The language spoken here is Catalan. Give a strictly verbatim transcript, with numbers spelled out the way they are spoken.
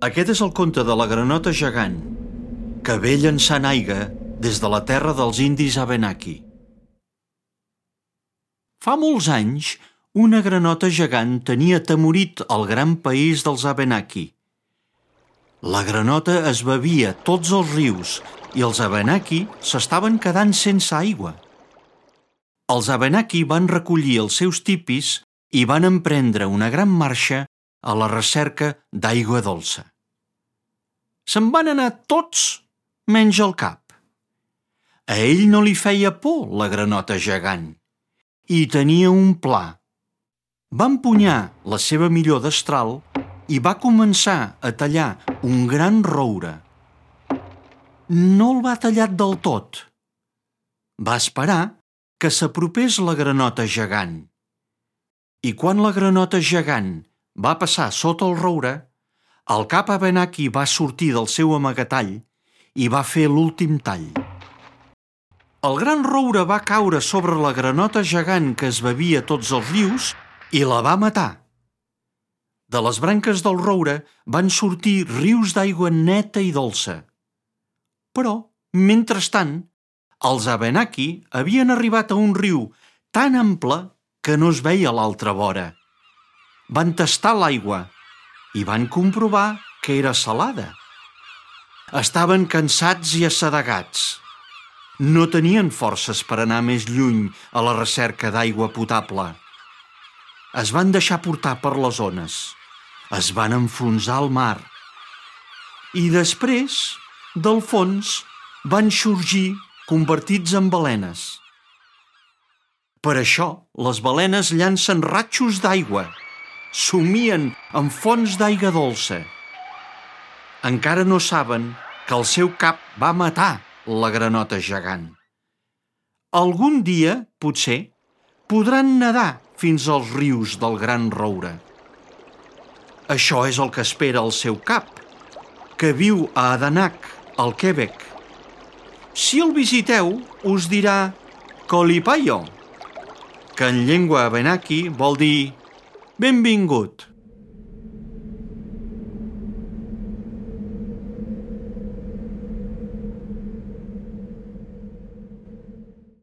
Aquest és el conte de la granota gegant, que ve llançant aigua des de la terra dels indis Abenaki. Fa molts anys, una granota gegant tenia atemorit el gran país dels Abenaki. La granota es bevia tots els rius i els Abenaki s'estaven quedant sense aigua. Els Abenaki van recollir els seus tipis i van emprendre una gran marxa a la recerca d'aigua dolça. Se'n van anar tots menys el cap. A ell no li feia por la granota gegant i tenia un pla. Va empunyar la seva millor destral i va començar a tallar un gran roure. No el va tallar del tot. Va esperar que s'apropés la granota gegant. I quan la granota gegant va passar sota el roure, el cap Abenaki va sortir del seu amagatall i va fer l'últim tall. El gran roure va caure sobre la granota gegant que es bevia tots els rius i la va matar. De les branques del roure van sortir rius d'aigua neta i dolça. Però, mentrestant, els Abenaki havien arribat a un riu tan ample que no es veia a l'altra vora. Van tastar l'aigua i van comprovar que era salada. Estaven cansats i assedegats. No tenien forces per anar més lluny a la recerca d'aigua potable. Es van deixar portar per les ones. Es van enfonsar al mar. I després, del fons, van sorgir convertits en balenes. Per això, les balenes llancen ratxos d'aigua. Somien en fonts d'aigua dolça. Encara no saben que el seu cap va matar la granota gegant. Algun dia, potser, podran nedar fins als rius del gran roure. Això és el que espera el seu cap, que viu a Adanak, al Quebec. Si el visiteu, us dirà Kolipayo, que en llengua Abenaki vol dir benvingut.